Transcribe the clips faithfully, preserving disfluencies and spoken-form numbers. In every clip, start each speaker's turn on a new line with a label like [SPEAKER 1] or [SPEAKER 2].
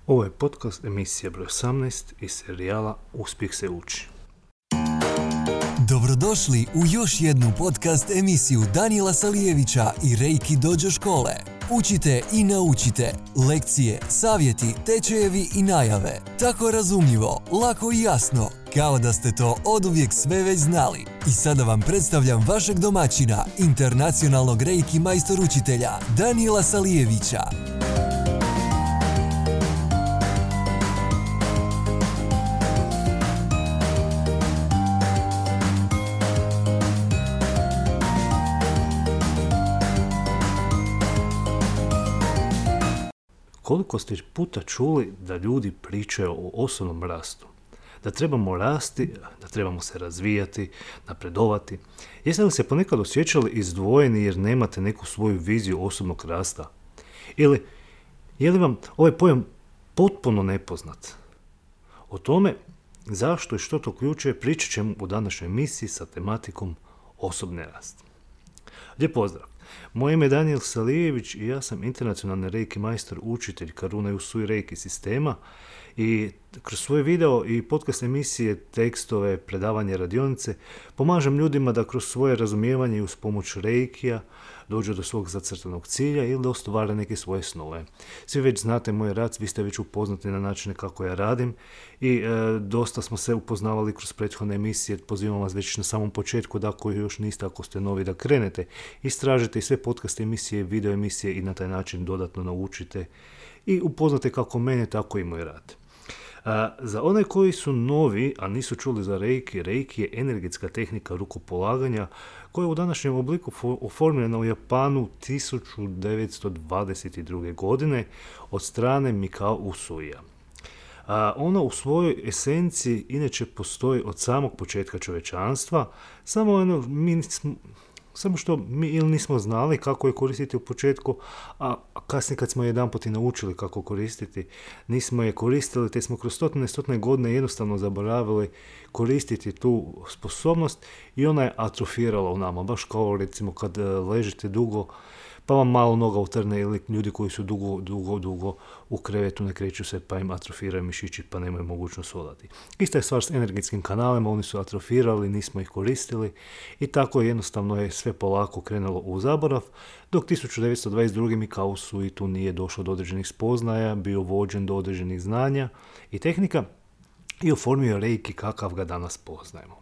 [SPEAKER 1] Ovo je podcast emisija broj osamnaest iz serijala Uspjeh se uči.
[SPEAKER 2] Dobrodošli u još jednu podcast emisiju Danijela Salijevića i Reiki Dojo škole. Učite i naučite. Lekcije, savjeti, tečajevi i najave. Tako razumljivo, lako i jasno, kao da ste to oduvijek sve već znali. I sada vam predstavljam vašeg domaćina, internacionalnog Reiki majstor učitelja, Danijela Salijevića.
[SPEAKER 1] Koliko ste puta čuli da ljudi pričaju o osobnom rastu? Da trebamo rasti, da trebamo se razvijati, napredovati. Jeste li se ponekad osjećali izdvojeni jer nemate neku svoju viziju osobnog rasta? Ili je li vam ovaj pojam potpuno nepoznat? O tome zašto i što to uključuje pričat ćemo u današnjoj emisiji sa tematikom osobni rast. Lijep pozdrav! Moje ime je Danijel Salijević i ja sam internacionalni Reiki majstor učitelj Karuna Usui Reiki sistema i kroz svoje video i podcast emisije, tekstove, predavanje, radionice pomažem ljudima da kroz svoje razumijevanje i uz pomoć Reikija dođu do svog zacrtanog cilja ili da ostvare neke svoje snove. Svi već znate moj rad, vi ste već upoznati na načine kako ja radim i e, dosta smo se upoznavali kroz prethodne emisije. Pozivam vas već na samom početku da ako još niste, ako ste novi, da krenete, istražite sve podcast emisije, video emisije i na taj način dodatno naučite i upoznate kako mene, tako i moj rad. A, za one koji su novi, a nisu čuli za Reiki, Reiki je energetska tehnika rukopolaganja koja je u današnjem obliku oformljena u Japanu tisuću devetsto dvadeset druge. godine od strane Mikao Usuija. A, ona u svojoj esenciji inače postoji od samog početka čovječanstva, samo ono, mi smo, samo što mi ili nismo znali kako je koristiti u početku, a kasnije kad smo jedanput i naučili kako koristiti, nismo je koristili, te smo kroz stotine stotine godine jednostavno zaboravili koristiti tu sposobnost i ona je atrofirala u nama, baš kao recimo kad ležite dugo, pa vam malo noga utrne, ili ljudi koji su dugo, dugo, dugo u krevetu ne kreću se pa im atrofiraju mišići pa nemaju mogućnost hodati. Ista je stvar s energetskim kanalima, oni su atrofirali, nismo ih koristili i tako jednostavno je sve polako krenulo u zaborav, dok tisuću devetsto dvadeset druge. Mikao Usui tu nije došao do određenih spoznaja, bio vođen do određenih znanja i tehnika i oformio Reiki kakav ga danas poznajemo.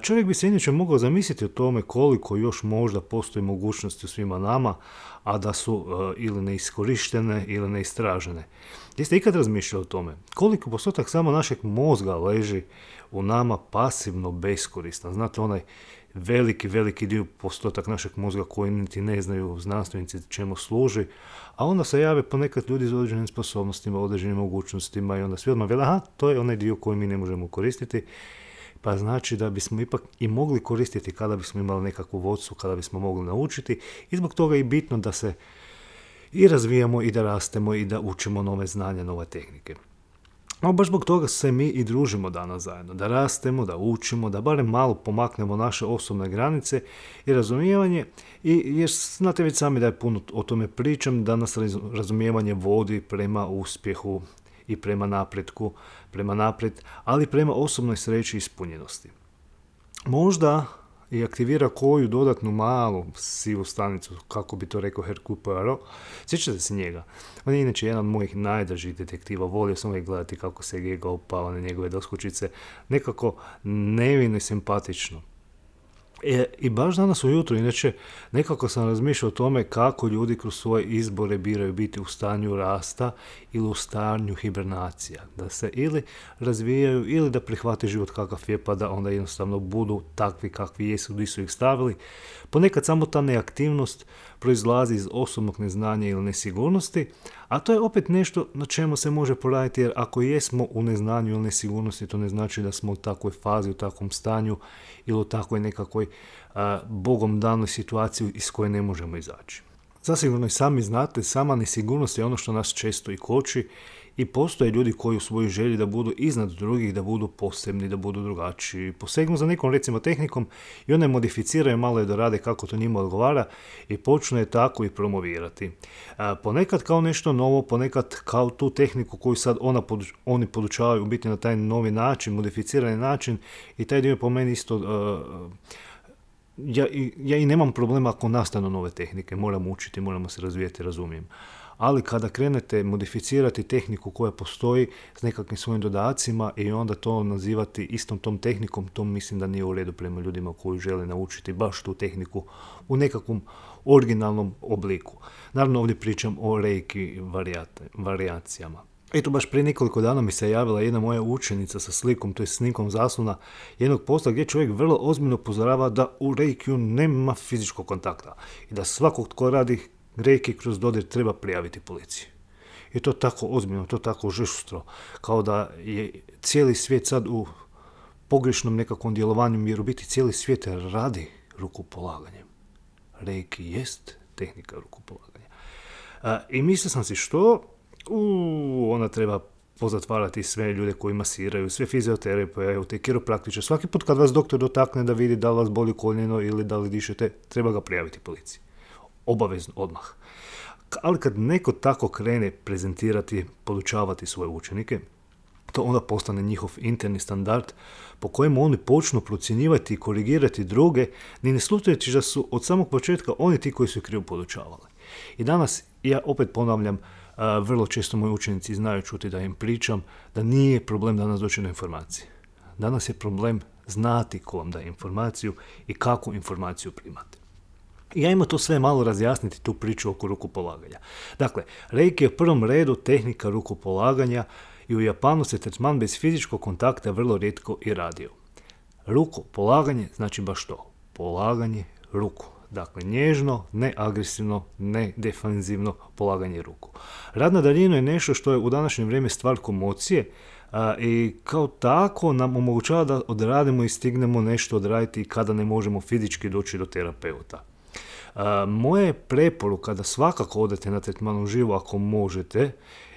[SPEAKER 1] Čovjek bi se inače mogao zamisliti o tome koliko još možda postoji mogućnosti u svima nama, a da su uh, ili neiskorištene ili neistražene. Jeste ikad razmišljali o tome? Koliko postotak samo našeg mozga leži u nama pasivno beskoristan? Znate, onaj veliki, veliki dio postotak našeg mozga koji niti ne znaju znanstvenici čemu služi, a onda se jave ponekad ljudi s određenim sposobnostima, određenim mogućnostima i onda svi odmah vele, aha, to je onaj dio koji mi ne možemo koristiti, pa znači da bismo ipak i mogli koristiti kada bismo imali nekakvu vodstvu, kada bismo mogli naučiti i zbog toga je i bitno da se i razvijamo i da rastemo i da učimo nove znanja, nove tehnike. No, baš zbog toga se mi i družimo danas zajedno, da rastemo, da učimo, da barem malo pomaknemo naše osobne granice i razumijevanje, i jer znate već sami da je puno o tome pričam, da nas razumijevanje vodi prema uspjehu i prema napretku, prema naprijed, ali prema osobnoj sreći i ispunjenosti. Možda i aktivira koju dodatnu malu sivu stanicu, kako bi to rekao Hercule Poirot. Sjećate se njega? On je inače jedan od mojih najdražih detektiva. Volio sam uvijek gledati kako se Gega upava na njegove doskočice. Nekako nevino i simpatično. E, I baš danas ujutro, inače, nekako sam razmišljao o tome kako ljudi kroz svoje izbore biraju biti u stanju rasta ili u stanju hibernacija. Da se ili razvijaju ili da prihvate život kakav je pa da onda jednostavno budu takvi kakvi jesu, gdje su ih stavili. Ponekad samo ta neaktivnost proizlazi iz osobnog neznanja ili nesigurnosti, a to je opet nešto na čemu se može poraditi, jer ako jesmo u neznanju ili nesigurnosti, to ne znači da smo u takvoj fazi, u takvom stanju ili u takvoj nekakvoj a, bogom danoj situaciji iz koje ne možemo izaći. Zasigurno i sami znate, sama nesigurnost je ono što nas često i koči i postoje ljudi koji u svojoj želji da budu iznad drugih, da budu posebni, da budu drugačiji, posegnu za nekom recimo tehnikom i one modificiraju malo je dorade kako to njima odgovara i počnu je tako i promovirati. A, ponekad kao nešto novo, ponekad kao tu tehniku koju sad ona podu, oni podučavaju u biti na taj novi način, modificirani način i taj dio po meni isto... Uh, Ja, ja i nemam problema ako nastanu nove tehnike, moramo učiti, moramo se razvijati, razumijem. Ali kada krenete modificirati tehniku koja postoji s nekakvim svojim dodacima i onda to nazivati istom tom tehnikom, to mislim da nije u redu prema ljudima koji žele naučiti baš tu tehniku u nekakvom originalnom obliku. Naravno ovdje pričam o reiki varijacijama. Eto, baš prije nekoliko dana mi se javila jedna moja učenica sa slikom, to je snikom zaslona jednog posta gdje čovjek vrlo ozbiljno upozorava da u reikiju nema fizičkog kontakta i da svakog tko radi reiki kroz dodir treba prijaviti policiji. I to tako ozbiljno, to tako žustro, kao da je cijeli svijet sad u pogrešnom nekakvom djelovanju, jer u biti cijeli svijet radi rukopolaganjem. Reiki jest tehnika rukopolaganja. A, I mislio sam si što... Uuu, ona treba pozatvarati sve ljude koji masiraju, sve fizioterapeute, kiropraktiče. Svaki put kad vas doktor dotakne da vidi da li vas boli koljeno ili da li dišete, treba ga prijaviti policiji. Obavezno, odmah. Ali kad neko tako krene prezentirati, podučavati svoje učenike, to onda postane njihov interni standard po kojemu oni počnu procjenjivati i korigirati druge, ni ne slušajući da su od samog početka oni ti koji su krivo podučavali. I danas, ja opet ponavljam, Uh, vrlo često moji učenici znaju čuti da im pričam da nije problem danas doći do informacije. Danas je problem znati ko vam daje informaciju i kakvu informaciju primate. I ja ima to sve malo razjasniti tu priču oko rukopolaganja. Dakle, reiki je u prvom redu tehnika rukopolaganja i u Japanu se tretman bez fizičkog kontakta vrlo rijetko i radio. Rukopolaganje znači baš to, polaganje ruku. Dakle, nježno, ne agresivno, ne defanzivno polaganje ruku. Rad na daljinu je nešto što je u današnje vrijeme stvar komocije a, i kao tako nam omogućava da odradimo i stignemo nešto odraditi kada ne možemo fizički doći do terapeuta. A, moja je preporuka da svakako odete na tretman uživo ako možete,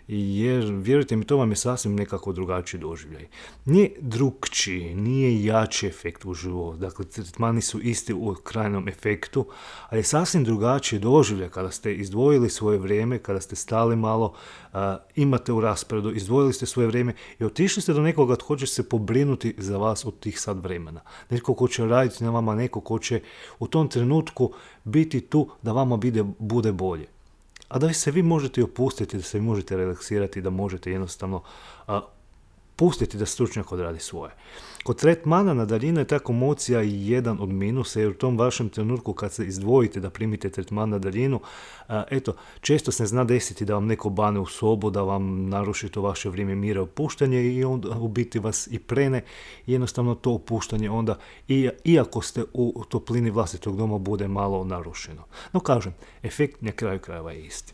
[SPEAKER 1] jer vjerujte mi, to vam je sasvim nekako drugačiji doživljaj. Nije drukčiji, nije jači efekt uživo, dakle tretmani su isti u krajnom efektu, ali je sasvim drugačiji doživljaj kada ste izdvojili svoje vrijeme, kada ste stali malo, uh, imate u rasporedu, izdvojili ste svoje vrijeme i otišli ste do nekoga tko će se pobrinuti za vas od tih sad vremena. Netko ko će raditi na vama, neko ko će u tom trenutku biti tu da vama bude, bude bolje. A da se vi možete opustiti, da se vi možete relaksirati, da možete jednostavno a, pustiti da stručnjak odradi svoje. Kod tretmana na daljinu je ta komocija jedan od minusa, jer u tom vašem trenutku kad se izdvojite da primite tretman na daljinu, a, eto, često se zna desiti da vam neko bane u sobu, da vam naruši to vaše vrijeme mira opuštanje i onda u biti vas i prene, jednostavno to opuštanje onda, i, iako ste u toplini vlastitog doma, bude malo narušeno. No kažem, efekt na kraju krajeva je isti.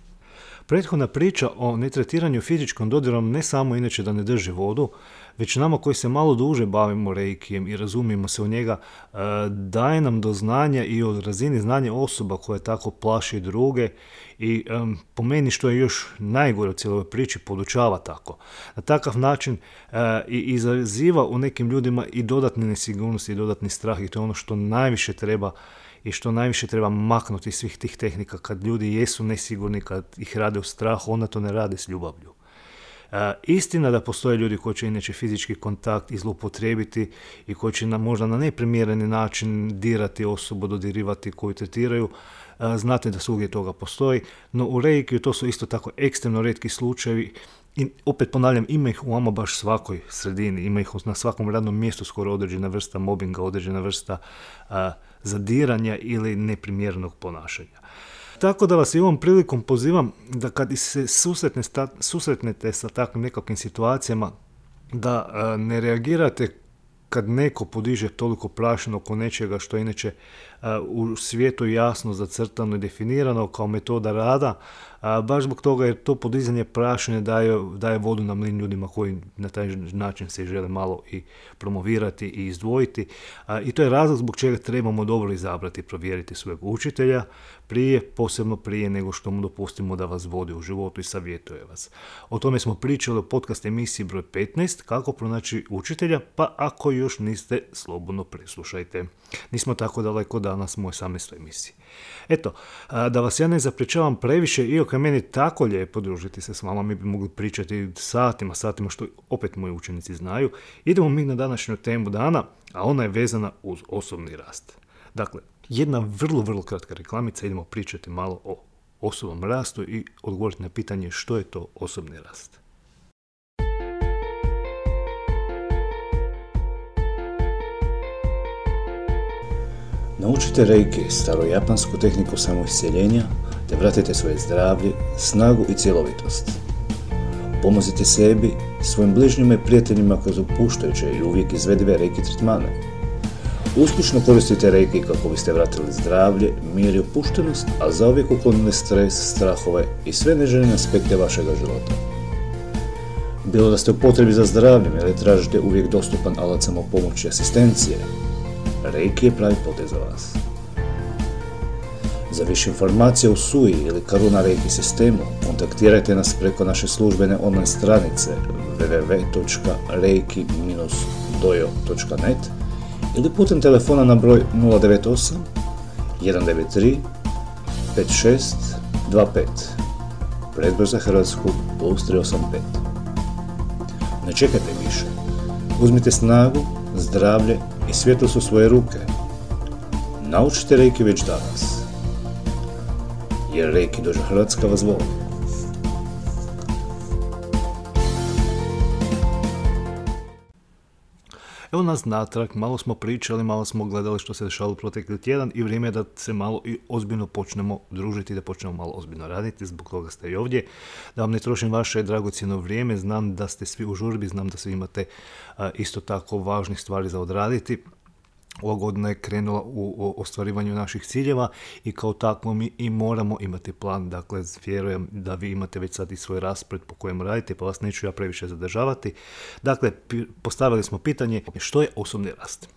[SPEAKER 1] Prethodna priča o netretiranju fizičkom dodirom ne samo inače da ne drži vodu, već nama koji se malo duže bavimo reikijem i razumijemo se u njega, daje nam do znanja i o razini znanja osoba koja tako plaši druge i um, po meni, što je još najgore u cijeloj priči, podučava tako. Na takav način uh, i izaziva u nekim ljudima i dodatne nesigurnosti i dodatni strah, i to je ono što najviše treba i što najviše treba maknuti iz svih tih tehnika. Kad ljudi jesu nesigurni, kad ih rade u strahu, onda to ne rade s ljubavlju. Uh, istina da postoje ljudi koji će inače fizički kontakt i zloupotrijebiti i koji će na, možda na neprimjereni način dirati osobu, dodirivati koju tretiraju. Uh, znate da svugdje toga postoji, no u reikiju to su isto tako ekstremno rijetki slučajevi. I opet ponavljam, ima ih u ama baš svakoj sredini, ima ih na svakom radnom mjestu skoro određena vrsta mobinga, određena vrsta uh, zadiranja ili neprimjerenog ponašanja. Tako da vas i ovom prilikom pozivam da kad se susretne, susretnete sa takvim nekakvim situacijama, da uh, ne reagirate kad neko podiže toliko prašinu oko nečega što inače u svijetu jasno zacrtano i definirano kao metoda rada, baš zbog toga jer to podizanje prašine daje, daje vodu na mlin ljudima koji na taj način se žele malo i promovirati i izdvojiti. I to je razlog zbog čega trebamo dobro izabrati i provjeriti svojeg učitelja prije, posebno prije nego što mu dopustimo da vas vodi u životu i savjetuje vas. O tome smo pričali u podcast emisiji broj petnaest, kako pronaći učitelja, pa ako još niste, slobodno preslušajte. Nismo tako daleko danas u osamnaestoj emisiji. Eto, da vas ja ne zapričavam previše, iako je meni tako lijepo družiti se s vama, mi bi mogli pričati satima, satima, što opet moji učenici znaju. Idemo mi na današnju temu dana, a ona je vezana uz osobni rast. Dakle, jedna vrlo, vrlo kratka reklamica, idemo pričati malo o osobnom rastu i odgovoriti na pitanje što je to osobni rast.
[SPEAKER 3] Naučite reiki, starojapansku tehniku samoisceljenja, te vratite svoje zdravlje, snagu i cjelovitost. Pomozite sebi, svojim bližnjima i prijateljima kroz opuštajuće i uvijek izvedive reiki tretmane. Uspješno koristite reiki kako biste vratili zdravlje, mir i opuštenost, a zauvijek uklonili stres, strahove i sve neželjene aspekte vašega života. Bilo da ste u potrebi za zdravljem ili tražite uvijek dostupan alat samopomoći i asistencije, reiki je pravi potez za vas. Za više informacija o Sui ili Karuna Reiki sistemu kontaktirajte nas preko naše službene online stranice w w w točka reiki dash dojo točka net ili putem telefona na broj nula devet osam jedan devet tri pet šest dva pet, predbroj za Hrvatsku plus tri osam pet. Ne čekajte više. Uzmite snagu, zdravlje i svjetlost u svoje ruke. Naučite reiki već danas. Jer Reiki Dojo Hrvatska vas voli.
[SPEAKER 1] Evo nas natrag, malo smo pričali, malo smo gledali što se dešavalo protekli tjedan i vrijeme je da se malo i ozbiljno počnemo družiti, da počnemo malo ozbiljno raditi, zbog toga ste i ovdje. Da vam ne trošim vaše dragocjeno vrijeme, znam da ste svi u žurbi, znam da svi imate a, isto tako važnih stvari za odraditi. Ova godina je krenula u ostvarivanju naših ciljeva i kao takvo mi i moramo imati plan. Dakle, vjerujem da vi imate već sad i svoj raspored po kojem radite, pa vas neću ja previše zadržavati. Dakle, postavili smo pitanje što je osobni rast.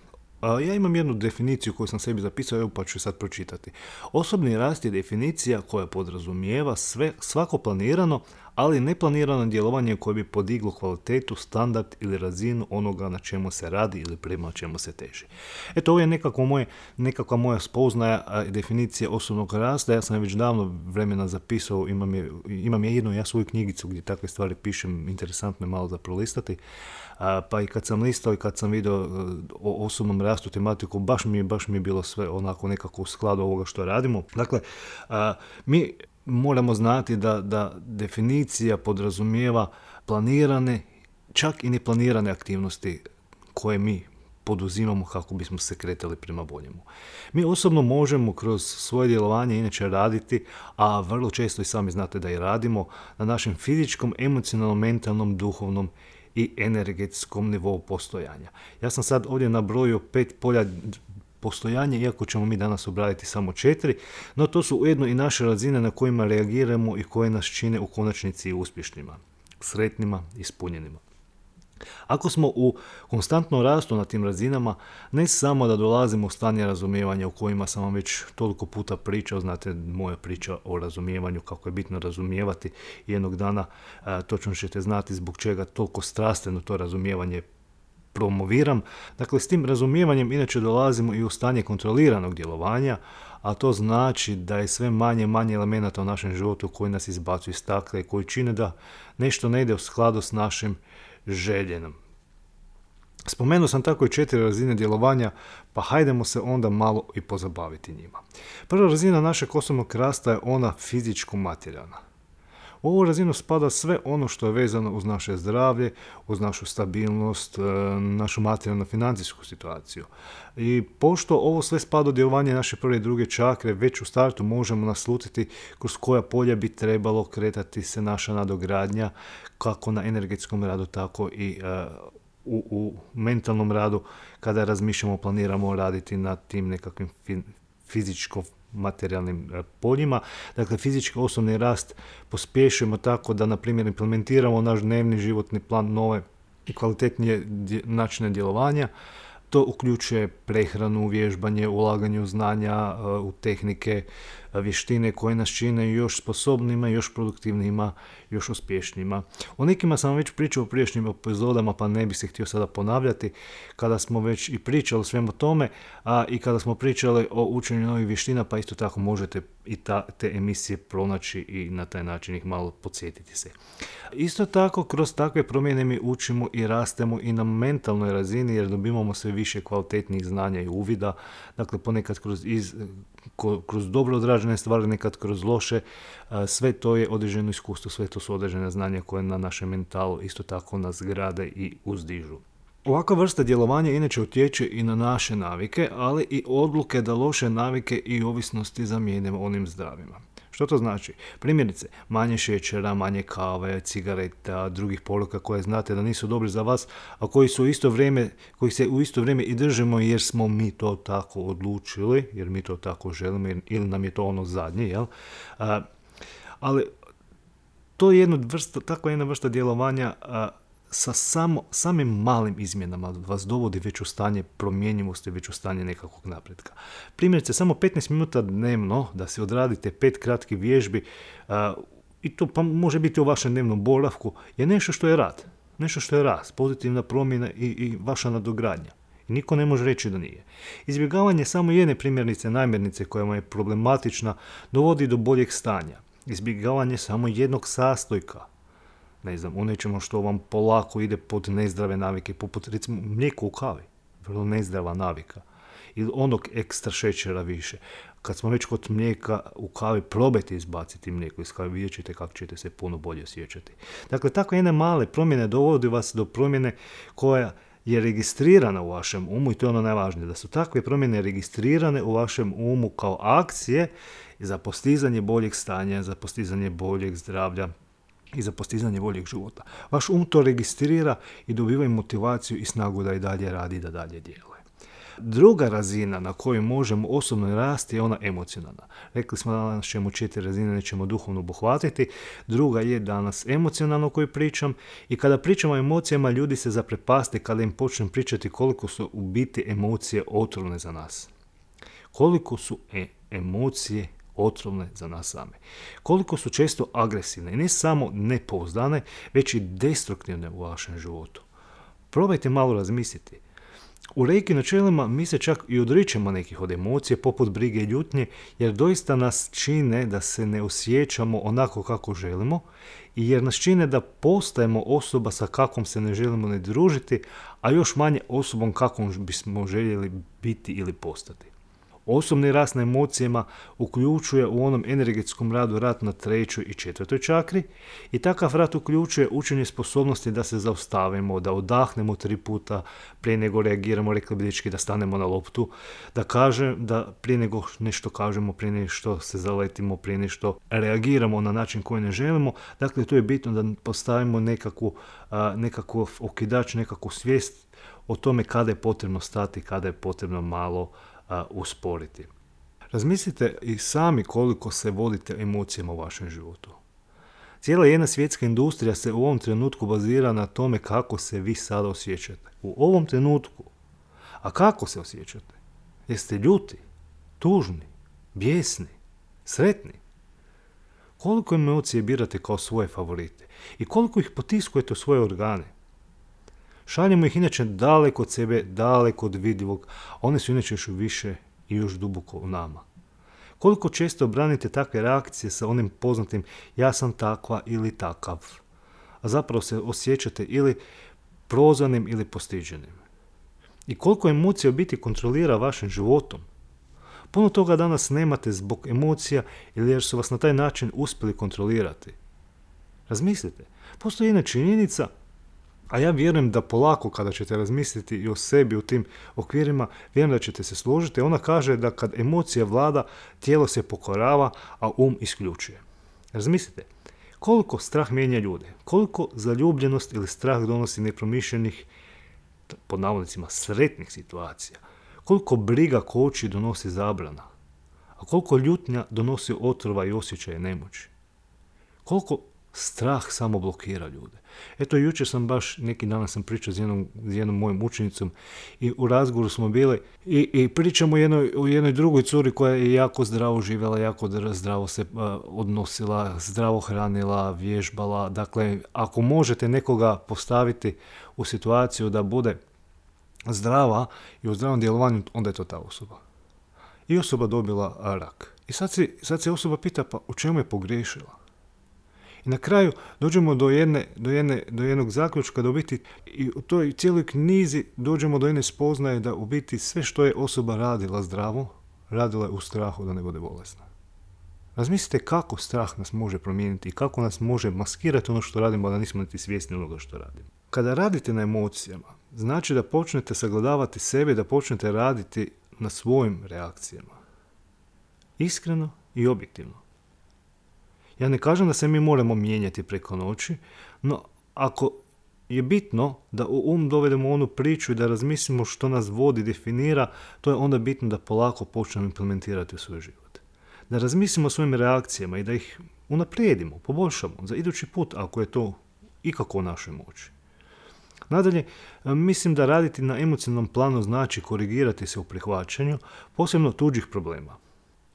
[SPEAKER 1] Ja imam jednu definiciju koju sam sebi zapisao, evo pa ću sad pročitati. Osobni rast je definicija koja podrazumijeva sve, svako planirano, ali neplanirano djelovanje koje bi podiglo kvalitetu, standard ili razinu onoga na čemu se radi ili prema čemu se teži. Eto, ovo je nekako moje, nekakva moja spoznaja definicija osobnog rasta. Ja sam već davno vremena zapisao, imam je, imam je jednu ja svoju knjigicu gdje takve stvari pišem, interesantno je malo za prolistati. A, pa i kad sam listao i kad sam vidio o osobnom rastu tematiku, baš mi, baš mi je bilo sve onako nekako u skladu ovoga što radimo. Dakle, a, mi moramo znati da, da definicija podrazumijeva planirane, čak i neplanirane aktivnosti koje mi poduzimamo kako bismo se kretali prema boljemu. Mi osobno možemo kroz svoje djelovanje inače raditi, a vrlo često i sami znate da i radimo, na našem fizičkom, emocionalnom, mentalnom, duhovnom i energetskom nivou postojanja. Ja sam sad ovdje nabrojio pet polja postojanja, iako ćemo mi danas obraditi samo četiri, no to su ujedno i naše razine na kojima reagiramo i koje nas čine u konačnici uspješnima, sretnima, ispunjenima. Ako smo u konstantnom rastu na tim razinama, ne samo da dolazimo u stanje razumijevanja o kojima sam vam već toliko puta pričao, znate moja priča o razumijevanju, kako je bitno razumijevati, jednog dana a, točno ćete znati zbog čega toliko strastveno to razumijevanje promoviram. Dakle, s tim razumijevanjem inače dolazimo i u stanje kontroliranog djelovanja, a to znači da je sve manje manje elemenata u našem životu koji nas izbacuju iz takla i koji čine da nešto ne ide u skladu s našim željenom. Spomenuo sam tako i četiri razine djelovanja, pa hajdemo se onda malo i pozabaviti njima. Prva razina našeg osobnog rasta je ona fizičko-materijalna. U ovu razinu spada sve ono što je vezano uz naše zdravlje, uz našu stabilnost, našu materijalno-financijsku situaciju. I pošto ovo sve spada u djelovanje naše prve i druge čakre, već u startu možemo naslutiti kroz koja polja bi trebalo kretati se naša nadogradnja, kako na energetskom radu, tako i uh, u, u mentalnom radu, kada razmišljamo, planiramo raditi na tim nekakvim fin- fizičko materijalnim poljima. Dakle, fizički osobni rast pospješujemo tako da, na primjer, implementiramo naš dnevni životni plan, nove i kvalitetnije načine djelovanja. To uključuje prehranu, vježbanje, ulaganje u znanja, u tehnike, vještine koje nas čine još sposobnima, još produktivnima, još uspješnijima. O nekima sam već pričao u prijašnjim epizodama, pa ne bih se htio sada ponavljati, kada smo već i pričali o svemu tome, a i kada smo pričali o učenju novih vještina, pa isto tako možete i ta, te emisije pronaći i na taj način ih malo podsjetiti se. Isto tako, kroz takve promjene mi učimo i rastemo i na mentalnoj razini, jer dobivamo sve više kvalitetnih znanja i uvida, dakle ponekad kroz, iz, kroz dobro odrađene stvari, nekad kroz loše, sve to je određeno iskustvo, sve to su određene znanja koje na našem mentalu isto tako nas grade i uzdižu. Ovakva vrsta djelovanja inače utječe i na naše navike, ali i odluke da loše navike i ovisnosti zamijenimo onim zdravima. Što to znači? Primjerice, manje šećera, manje kave, cigareta, drugih poruka koje znate da nisu dobri za vas, a koji su u isto vrijeme, koji se u isto vrijeme i držimo jer smo mi to tako odlučili, jer mi to tako želimo ili nam je to ono zadnje, jel? A, ali to je jedna vrsta, takva jedna vrsta djelovanja a, sa samo, samim malim izmjenama vas dovodi već u stanje promjenjivosti, već u stanje nekakvog napretka. Primjerice, samo petnaest minuta dnevno da se odradite pet kratkih vježbi, a, i to pa može biti u vašem dnevnom boravku, je nešto što je rad. Nešto što je rast, pozitivna promjena i, i vaša nadogradnja. I niko ne može reći da nije. Izbjegavanje samo jedne primjernice, namirnice koja vam je problematična, dovodi do boljeg stanja. Izbjegavanje samo jednog sastojka, ne znam, u nečemu što vam polako ide pod nezdrave navike, poput recimo mlijeko u kavi, vrlo nezdrava navika, ili onog ekstra šećera više. Kad smo već kod mlijeka u kavi, probajte izbaciti mlijeko iz kavi, vidjet ćete kako ćete se puno bolje osjećati. Dakle, tako jedne male promjene dovodi vas do promjene koja je registrirana u vašem umu, i to je ono najvažnije, da su takve promjene registrirane u vašem umu kao akcije za postizanje boljeg stanja, za postizanje boljeg zdravlja i za postizanje boljeg života. Vaš um to registrira i dobiva motivaciju i snagu da i dalje radi, da dalje djeluje. Druga razina na kojoj možemo osobno rasti je ona emocionalna. Rekli smo danas ćemo četiri razine, nećemo duhovno obuhvatiti. Druga je danas emocionalno o kojoj pričam, i kada pričamo o emocijama, ljudi se zaprepaste kada im počnem pričati koliko su u biti emocije otrovne za nas. Koliko su e- emocije otrovne za nas same. Koliko su često agresivne i ne samo nepouzdane, već i destruktivne u vašem životu. Probajte malo razmisliti. U reiki načelima mi se čak i odričemo nekih od emocije, poput brige i ljutnje, jer doista nas čine da se ne osjećamo onako kako želimo, i jer nas čine da postajemo osoba sa kakvom se ne želimo ne družiti, a još manje osobom kakvom bismo željeli biti ili postati. Osobni rast na emocijama uključuje u onom energetskom radu rad na trećoj i četvrtoj čakri, i takav rad uključuje učenje sposobnosti da se zaustavimo, da odahnemo tri puta prije nego reagiramo, rekli bi dečki, da stanemo na loptu, da kažem, da prije nego nešto kažemo, prije nego što se zaletimo, prije nego što reagiramo na način koji ne želimo. Dakle, tu je bitno da postavimo nekakvu, nekakvu okidač, nekakvu svijest o tome kada je potrebno stati, kada je potrebno malo Uh, usporiti. Razmislite i sami koliko se vodite emocijama u vašem životu. Cijela jedna svjetska industrija se u ovom trenutku bazira na tome kako se vi sada osjećate. U ovom trenutku. A kako se osjećate? Jeste ljuti, tužni, bijesni, sretni? Koliko emocije birate kao svoje favorite? I koliko ih potiskujete u svoje organe? Šaljemo ih inače daleko od sebe, daleko od vidljivog, a one su inače još više i još duboko u nama. Koliko često branite takve reakcije sa onim poznatim ja sam takva ili takav, a zapravo se osjećate ili prozvanim ili postiđenim. I koliko emocija u biti kontrolira vašim životom. Puno toga danas nemate zbog emocija ili jer su vas na taj način uspjeli kontrolirati. Razmislite, postoji jedna činjenica, a ja vjerujem da polako kada ćete razmisliti i o sebi u tim okvirima, vjerujem da ćete se složiti. Ona kaže da kad emocija vlada, tijelo se pokorava, a um isključuje. Razmislite, koliko strah mijenja ljude, koliko zaljubljenost ili strah donosi nepromišljenih, pod navodnicima, sretnih situacija, koliko briga koči donosi zabrana. A koliko ljutnja donosi otrova i osjećaje nemoći. Koliko strah samo blokira ljude. Eto, jučer sam baš, neki dan sam pričao s jednom, s jednom mojom učenicom i u razgovoru smo bili i, i pričamo o jednoj, o jednoj drugoj curi koja je jako zdravo živjela, jako zdravo se uh, odnosila, zdravo hranila, vježbala. Dakle, ako možete nekoga postaviti u situaciju da bude zdrava i u zdravom djelovanju, onda je to ta osoba. I osoba dobila rak. I sad se, sad se osoba pita, pa u čemu je pogriješila? I na kraju dođemo do, jedne, do, jedne, do jednog zaključka da u biti i u toj cijeloj knjizi dođemo do jedne spoznaje da u biti sve što je osoba radila zdravo, radila je u strahu da ne bude bolesna. Razmislite kako strah nas može promijeniti i kako nas može maskirati ono što radimo, da nismo niti svjesni onoga što radimo. Kada radite na emocijama, znači da počnete sagledavati sebe, da počnete raditi na svojim reakcijama. Iskreno i objektivno. Ja ne kažem da se mi moramo mijenjati preko noći, no ako je bitno da u um dovedemo onu priču i da razmislimo što nas vodi, definira, to je onda bitno da polako počnemo implementirati u svoj život. Da razmislimo o svojim reakcijama i da ih unaprijedimo, poboljšamo za idući put ako je to ikako u našoj moći. Nadalje, mislim da raditi na emocionalnom planu znači korigirati se u prihvaćanju, posebno tuđih problema.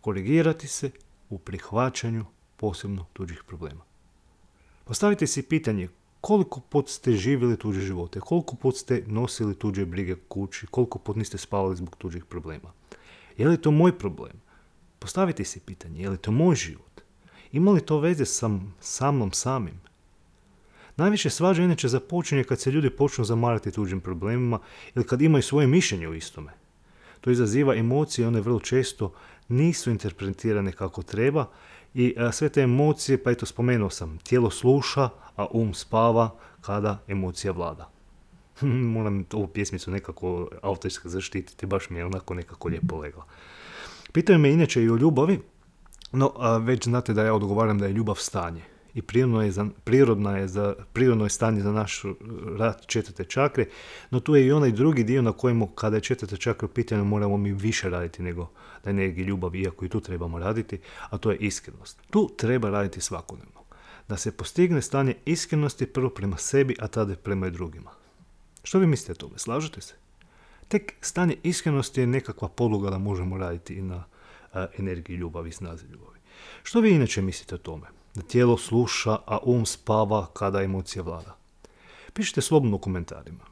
[SPEAKER 1] Korigirati se u prihvaćanju posebno tuđih problema. Postavite si pitanje koliko put ste živjeli tuđe živote, koliko put ste nosili tuđe brige kući, koliko put niste spavali zbog tuđih problema. Je li to moj problem? Postavite si pitanje, je li to moj život? Ima li to veze sa, sa mnom samim? Najviše svađa inače započinje kad se ljudi počnu zamarati tuđim problemima ili kad imaju svoje mišljenje o istome. To izaziva emocije, one vrlo često nisu interpretirane kako treba i a, sve te emocije, pa eto spomenuo sam, tijelo sluša, a um spava kada emocija vlada. Moram ovu pjesmicu nekako autorski zaštititi, baš mi je onako nekako lijepo legla. Pitaju me inače i o ljubavi, no a, već znate da ja odgovaram da je ljubav stanje. I prirodno je, za, prirodna je za, prirodno je stanje za naš rad četvrte čakre, no tu je i onaj drugi dio na kojemu kada je četvrta čakra u pitanju moramo mi više raditi nego da energiji ljubavi, iako i tu trebamo raditi, a to je iskrenost. Tu treba raditi svakodnevno. Da se postigne stanje iskrenosti prvo prema sebi, a tada prema drugima. Što vi mislite o tome? Slažete se? Tek stanje iskrenosti je nekakva podloga da možemo raditi i na a, energiji ljubavi i snazi ljubavi. Što vi inače mislite o tome? Da tijelo sluša, a um spava kada emocija vlada. Pišite slobodno u komentarima.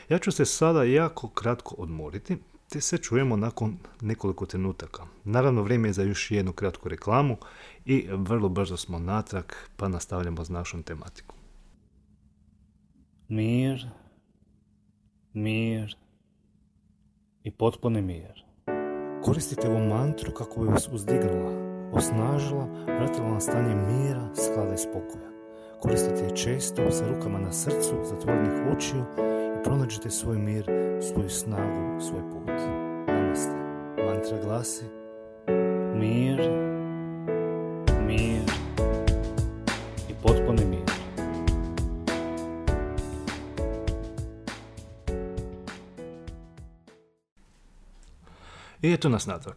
[SPEAKER 1] Ja ću se sada jako kratko odmoriti, te se čujemo nakon nekoliko trenutaka. Naravno, vrijeme je za još jednu kratku reklamu i vrlo brzo smo natrag, pa nastavljamo s našom tematikom.
[SPEAKER 4] Mir, mir i potpuni mir.
[SPEAKER 1] Koristite ovu mantru kako bi vas uzdignula, osnažila, vratila na stanje mira, sklada i spokoja. Koristite je često sa rukama na srcu, zatvorenih očiju i pronađite svoj mir, svoju snagu, svoj put. Namaste. Mantra glasi:
[SPEAKER 4] Mir, mir i potpuni mir.
[SPEAKER 1] I eto nas natrag.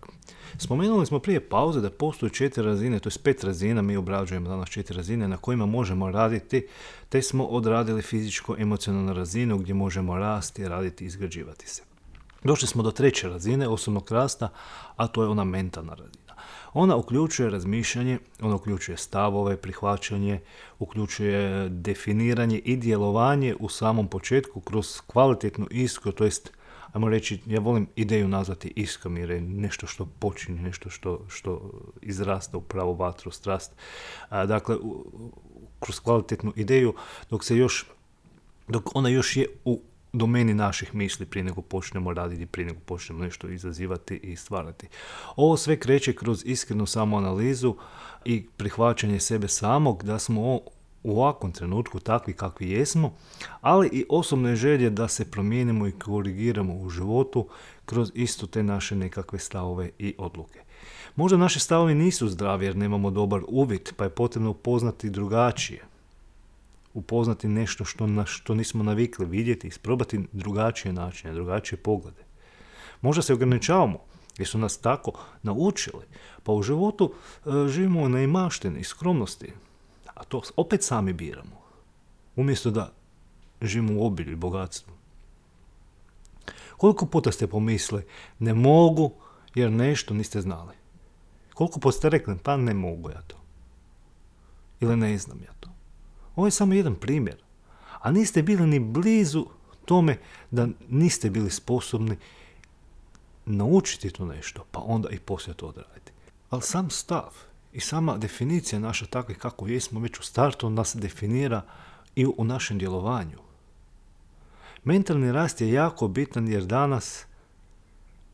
[SPEAKER 1] Spomenuli smo prije pauze da postoje četiri razine, to je pet razina, mi obrađujemo danas četiri razine na kojima možemo raditi, te smo odradili fizičko-emocionalnu razinu gdje možemo rasti, raditi i izgrađivati se. Došli smo do treće razine osobnog rasta, a to je ona mentalna razina. Ona uključuje razmišljanje, ona uključuje stavove, prihvaćanje, uključuje definiranje i djelovanje u samom početku kroz kvalitetnu iskru, to jest ajmo reći, ja volim ideju nazvati iskrom jer je nešto što počinje, nešto što, što izrasta u pravu vatru, strast. A, dakle, u, kroz kvalitetnu ideju, dok se još, dok ona još je u domeni naših misli prije nego počnemo raditi, prije nego počnemo nešto izazivati i stvarati. Ovo sve kreće kroz iskrenu samoanalizu i prihvaćanje sebe samog, da smo u ovakvom trenutku takvi kakvi jesmo, ali i osobne želje da se promijenimo i korigiramo u životu kroz isto te naše nekakve stavove i odluke. Možda naši stavovi nisu zdravi jer nemamo dobar uvid, pa je potrebno upoznati drugačije. Upoznati nešto što, na što nismo navikli vidjeti, isprobati drugačije načine, drugačije poglede. Možda se ograničavamo jer su nas tako naučili. Pa u životu e, živimo u neimaštini i skromnosti, a to opet sami biramo. Umjesto da živimo u obilju i bogatstvu. Koliko puta ste pomislili, ne mogu jer nešto niste znali? Koliko puta ste rekli, pa ne mogu ja to. Ili ne znam ja to. Ovo je samo jedan primjer. A niste bili ni blizu tome da niste bili sposobni naučiti to nešto, pa onda i poslije to odraditi. Ali sam stav i sama definicija naša takva kako jesmo već u startu nas definira i u našem djelovanju. Mentalni rast je jako bitan jer danas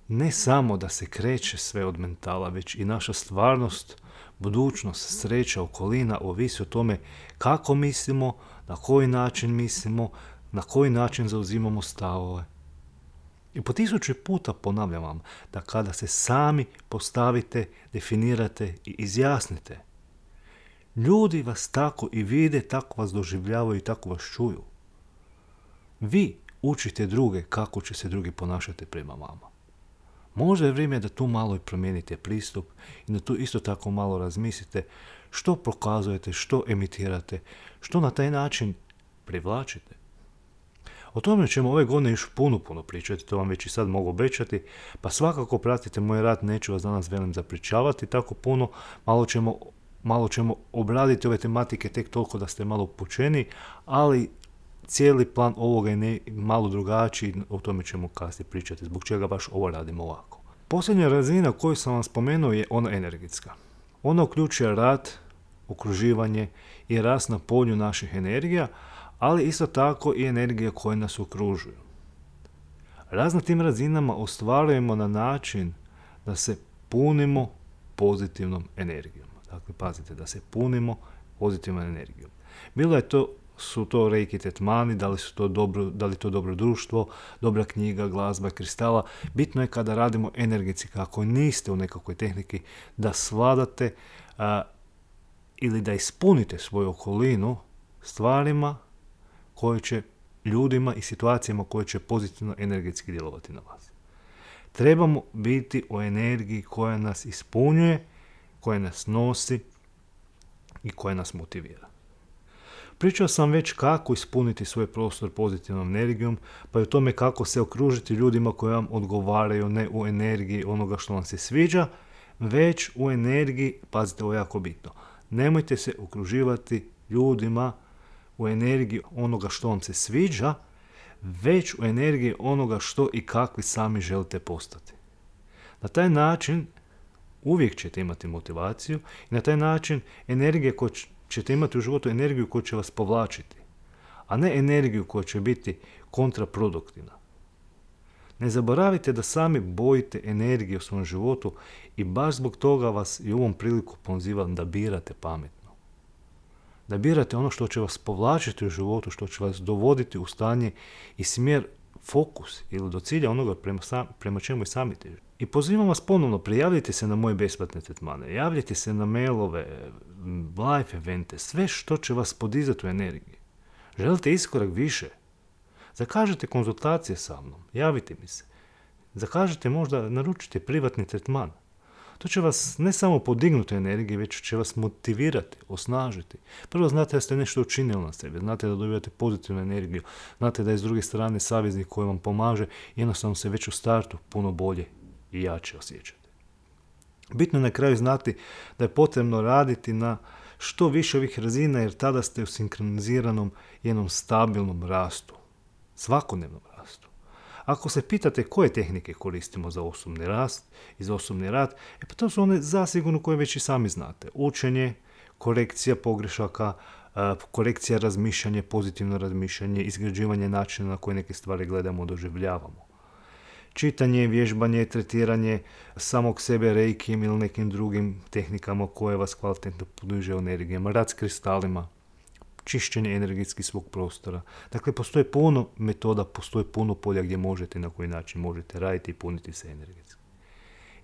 [SPEAKER 1] ne samo da se kreće sve od mentala, već i naša stvarnost, budućnost, sreća, okolina ovisi o tome kako mislimo, na koji način mislimo, na koji način zauzimamo stavove. I po tisući puta ponavljam vam da kada se sami postavite, definirate i izjasnite, ljudi vas tako i vide, tako vas doživljavaju i tako vas čuju. Vi učite druge kako će se drugi ponašati prema vama. Možda je vrijeme da tu malo i promijenite pristup i da tu isto tako malo razmislite što prokazujete, što emitirate, što na taj način privlačite. O tome ćemo ove godine još puno, puno pričati, to vam već i sad mogu obećati, pa svakako pratite moj rad, neću vas danas velim zapričavati tako puno, malo ćemo, malo ćemo obraditi ove tematike tek toliko da ste malo upućeni, ali cijeli plan ovoga je ne, malo drugačiji, o tome ćemo kasnije pričati, zbog čega baš ovo radimo ovako. Posljednja razina koju sam vam spomenuo je ona energetska. Ona uključuje rad, okruživanje i rast na polju naših energija, ali isto tako i energije koje nas okružuju. Rast na tim razinama ostvarujemo na način da se punimo pozitivnom energijom. Dakle, pazite, da se punimo pozitivnom energijom. Bilo je to su to reiki tretmani, da li su to dobro, da li to dobro društvo, dobra knjiga, glazba, kristala. Bitno je kada radimo energetski, kako niste u nekakvoj tehniki, da svladate a, ili da ispunite svoju okolinu stvarima koje će, ljudima i situacijama koje će pozitivno energetski djelovati na vas. Trebamo biti u energiji koja nas ispunjuje, koja nas nosi i koja nas motivira. Pričao sam već kako ispuniti svoj prostor pozitivnom energijom, pa i o tome kako se okružiti ljudima koji vam odgovaraju, ne u energiji onoga što vam se sviđa, već u energiji, pazite, ovo je jako bitno, nemojte se okruživati ljudima u energiji onoga što vam se sviđa, već u energiji onoga što i kakvi sami želite postati. Na taj način uvijek ćete imati motivaciju i na taj način energije koje ćete imati u životu energiju koja će vas povlačiti, a ne energiju koja će biti kontraproduktivna. Ne zaboravite da sami bojite energije u svom životu i baš zbog toga vas i u ovom priliku pozivam da birate pametno. Da birate ono što će vas povlačiti u životu, što će vas dovoditi u stanje i smjer, fokus ili do cilja onoga prema, sam, prema čemu i sami težite. I pozivam vas ponovno, prijavljajte se na moje besplatne tretmane, javljajte se na mailove, live evente, sve što će vas podizati u energiji. Želite iskorak više? Zakažite konzultacije sa mnom, javite mi se. Zakažite možda, naručite privatni tretman. To će vas ne samo podignuti energiju, već će vas motivirati, osnažiti. Prvo znate da ste nešto učinili na sebi, znate da dobivate pozitivnu energiju, znate da je s druge strane saveznik koji vam pomaže, jednostavno se već u startu puno bolje i jače osjećate. Bitno je na kraju znati da je potrebno raditi na što više ovih razina, jer tada ste u sinkroniziranom jednom stabilnom rastu, svakodnevnom rastu. Ako se pitate koje tehnike koristimo za osobni rast i za osobni rad, e pa to su one zasigurno koje već i sami znate. Učenje, korekcija pogrešaka, korekcija razmišljanja, pozitivno razmišljanje, izgrađivanje načina na koje neke stvari gledamo, doživljavamo. Čitanje, vježbanje, tretiranje samog sebe reikijem ili nekim drugim tehnikama koje vas kvalitetno podiže energijama, rad s kristalima, čišćenje energetski svog prostora. Dakle, postoje puno metoda, postoje puno polja gdje možete i na koji način možete raditi i puniti se energetski.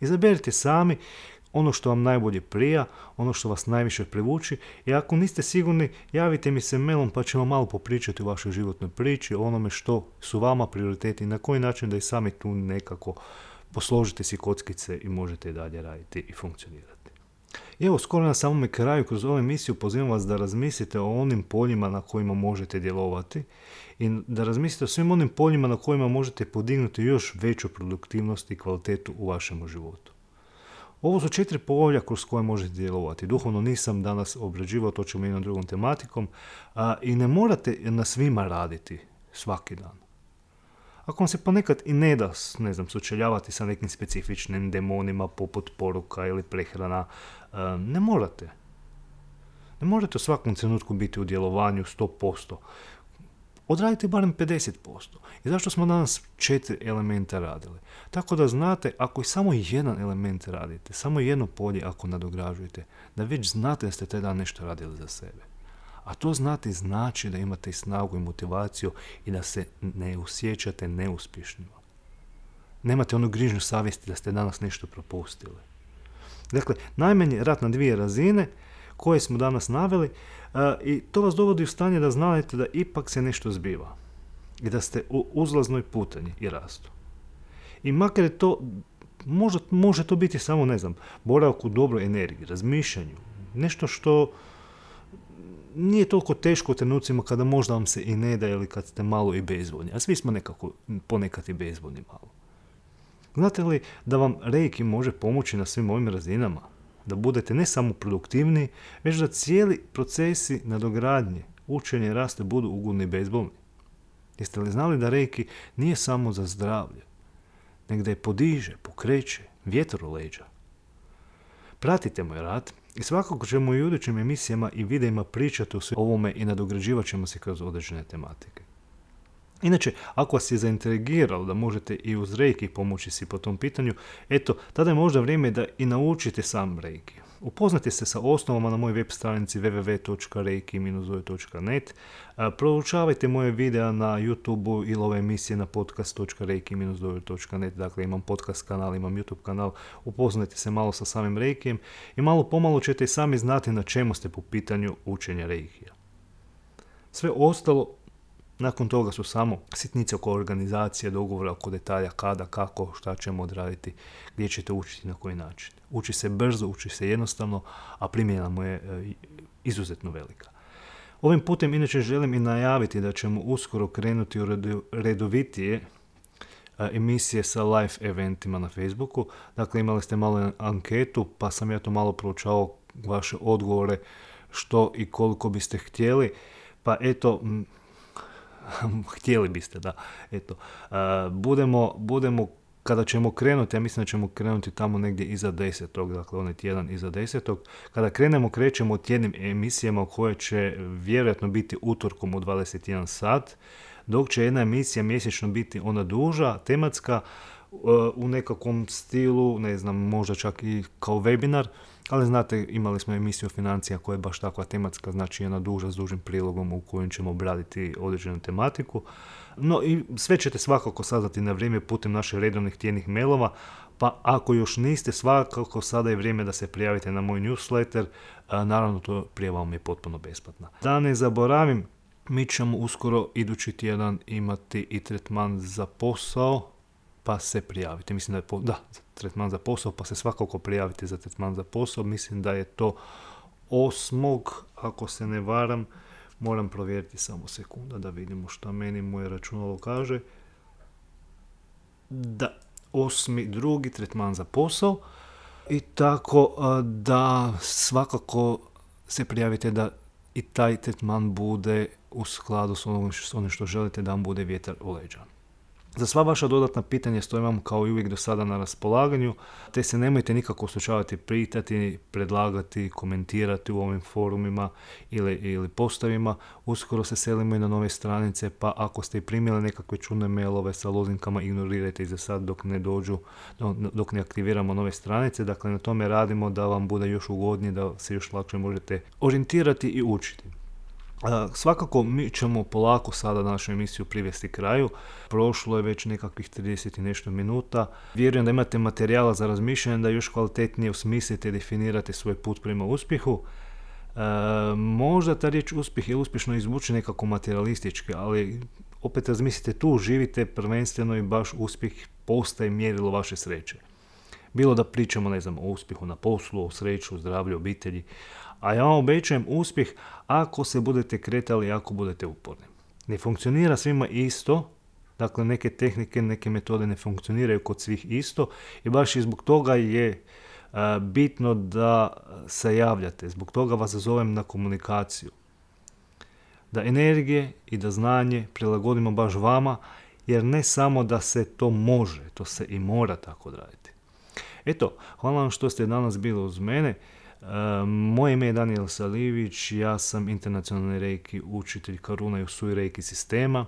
[SPEAKER 1] Izaberite sami ono što vam najbolje prija, ono što vas najviše privuči i ako niste sigurni, javite mi se mailom pa ćemo malo popričati o vašoj životnoj priči, o onome što su vama prioriteti i na koji način da i sami tu nekako posložite si kockice i možete i dalje raditi i funkcionirati. I evo, skoro na samome kraju kroz ovu emisiju pozivam vas da razmislite o onim poljima na kojima možete djelovati i da razmislite o svim onim poljima na kojima možete podignuti još veću produktivnost i kvalitetu u vašem životu. Ovo su četiri polja kroz koje možete djelovati. Duhovno nisam danas obrađivao, to ćemo i na drugom tematikom. A, I ne morate na svima raditi svaki dan. Ako vam se ponekad i ne da, ne znam, sučeljavati sa nekim specifičnim demonima poput poruka ili prehrana, a, ne morate. Ne morate u svakom trenutku biti u djelovanju sto posto. Odradite barem pedeset posto. I zašto smo danas četiri elementa radili? Tako da znate, ako i samo jedan element radite, samo jedno polje ako nadograđujete, da već znate da ste taj dan nešto radili za sebe. A to znati znači da imate i snagu i motivaciju i da se ne osjećate neuspješnima. Nemate onu grižnju savjesti da ste danas nešto propustili. Dakle, najmanje rad na dvije razine koje smo danas naveli, uh, i to vas dovodi u stanje da znate da ipak se nešto zbiva i da ste u uzlaznoj putanji i rastu. I makar je to, može, može to biti samo, ne znam, boravak u dobroj energiji, razmišljanju, nešto što nije toliko teško u trenucima kada možda vam se i ne da ili kad ste malo i bezvoljni, a svi smo nekako ponekad i bezvoljni malo. Znate li da vam reiki može pomoći na svim ovim razinama? Da budete ne samo produktivni, već da cijeli procesi nadogradnje, učenje i raste budu ugodni i bezbolni. Jeste li znali da reiki nije samo za zdravlje, nego da je podiže, pokreće, vjetar u leđa? Pratite moj rad i svakako ćemo i u idućim emisijama i videima pričati o ovome i nadograđivat ćemo se kroz određene tematike. Inače, ako vas je zaintrigiralo da možete i uz reiki pomoći si po tom pitanju, eto, tada je možda vrijeme da i naučite sam reiki. Upoznate se sa osnovama na mojoj web stranici w w w točka reiki dash zoe točka net, proučavajte moje videa na YouTubeu ili ove emisije na podcast točka reiki dash zoe točka net, dakle imam podcast kanal, imam YouTube kanal, upoznajte se malo sa samim reikijem i malo pomalo ćete i sami znati na čemu ste po pitanju učenja reikija. Sve ostalo nakon toga su samo sitnice oko organizacije, dogovora oko detalja kada, kako, šta ćemo odraditi, gdje ćete učiti, na koji način. Uči se brzo, uči se jednostavno, a primjena mu je e, izuzetno velika. Ovim putem inače želim i najaviti da ćemo uskoro krenuti u redovitije e, emisije sa live eventima na Facebooku. Dakle, imali ste malo anketu, pa sam ja to malo proučavao vaše odgovore što i koliko biste htjeli. Pa eto, m, htjeli biste, da, eto, uh, budemo, budemo, kada ćemo krenuti, ja mislim da ćemo krenuti tamo negdje iza desetog, dakle onaj tjedan iza desetog, kada krenemo, krećemo u tjednim emisijama koje će vjerojatno biti utorkom u dvadeset jedan sat, dok će jedna emisija mjesečno biti ona duža, tematska, uh, u nekakvom stilu, ne znam, možda čak i kao webinar, ali znate, imali smo emisiju financija koja je baš takva tematska, znači jedna duža s dužim prilogom u kojem ćemo obraditi određenu tematiku. No i sve ćete svakako saznati na vrijeme putem naših redovnih tjednih mailova, pa ako još niste, svakako sada je vrijeme da se prijavite na moj newsletter, a naravno to prijava vam je potpuno besplatna. Da ne zaboravim, mi ćemo uskoro idući tjedan imati i tretman za posao, pa se prijavite. Mislim da je po, da, tretman za posao, pa se svakako prijavite za tretman za posao. Mislim da je to osmog, ako se ne varam, moram provjeriti samo sekunda da vidimo šta meni moje računalo kaže. Da, osmi drugi tretman za posao. I tako da svakako se prijavite da i taj tretman bude u skladu s onim što, onim što želite, da vam bude vjetar u leđa. Za sva vaša dodatna pitanja stojim vam kao i uvijek do sada na raspolaganju, te se nemojte nikako slučavati pitati, predlagati, komentirati u ovim forumima ili, ili postavima. Uskoro se selimo i na nove stranice, pa ako ste i primili nekakve čudne mailove sa lozinkama, ignorirajte ih za sad dok ne dođu, dok ne aktiviramo nove stranice. Dakle, na tome radimo da vam bude još ugodnije, da se još lakše možete orijentirati i učiti. Uh, svakako mi ćemo polako sada našu emisiju privesti kraju. Prošlo je već nekakvih trideset i nešto minuta. Vjerujem da imate materijala za razmišljanje, da još kvalitetnije osmislite i definirate svoj put prema uspjehu. Uh, možda ta riječ uspjeh je uspješno izvuči nekako materialistički, ali opet razmislite tu, živite prvenstveno i baš uspjeh postaje mjerilo vaše sreće. Bilo da pričamo, ne znam, o uspjehu na poslu, o sreću, o zdravlju, obitelji. A ja vam obećajem uspjeh ako se budete kretali, ako budete uporni. Ne funkcionira svima isto, dakle neke tehnike, neke metode ne funkcioniraju kod svih isto i baš i zbog toga je a, bitno da se javljate. Zbog toga vas zovem na komunikaciju. Da energije i da znanje prilagodimo baš vama, jer ne samo da se to može, to se i mora tako raditi. Eto, hvala vam što ste danas bili uz mene. E, moje ime je Danijel Salijević, ja sam internacionalni reiki učitelj Karuna i Usui reiki sistema.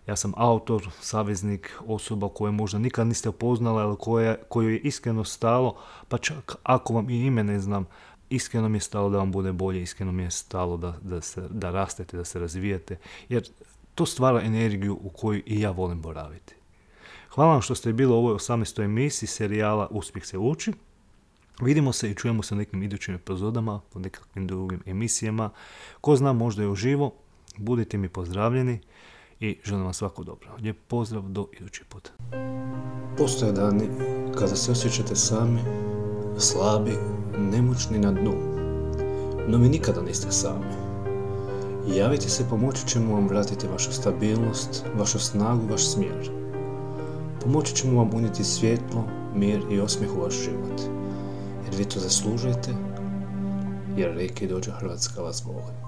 [SPEAKER 1] Ja sam autor, saveznik, osoba koje možda nikad niste upoznali, ali koje, koju je iskreno stalo, pa čak ako vam i ime ne znam, iskreno mi je stalo da vam bude bolje, iskreno mi je stalo da, da, se, da rastete, da se razvijete, jer to stvara energiju u koju i ja volim boraviti. Hvala vam što ste bili u ovoj osamnaestoj emisiji serijala Uspjeh se uči. Vidimo se i čujemo se u nekim idućim epizodama, u nekakvim drugim emisijama. Ko zna, možda je uživo. Budite mi pozdravljeni i želim vam svako dobro. Lijep pozdrav, do idući put.
[SPEAKER 3] Postoje dani kada se osjećate sami, slabi, nemoćni na dnu. No vi nikada niste sami. Javite se, pomoći ćemo vam vratiti vašu stabilnost, vašu snagu, vaš smjer. Pomoći ćemo vam unijeti svjetlo, mir i osmijeh u vaš život. Jer vi to zaslužujete, jer Reiki Dojo Hrvatska vas voli.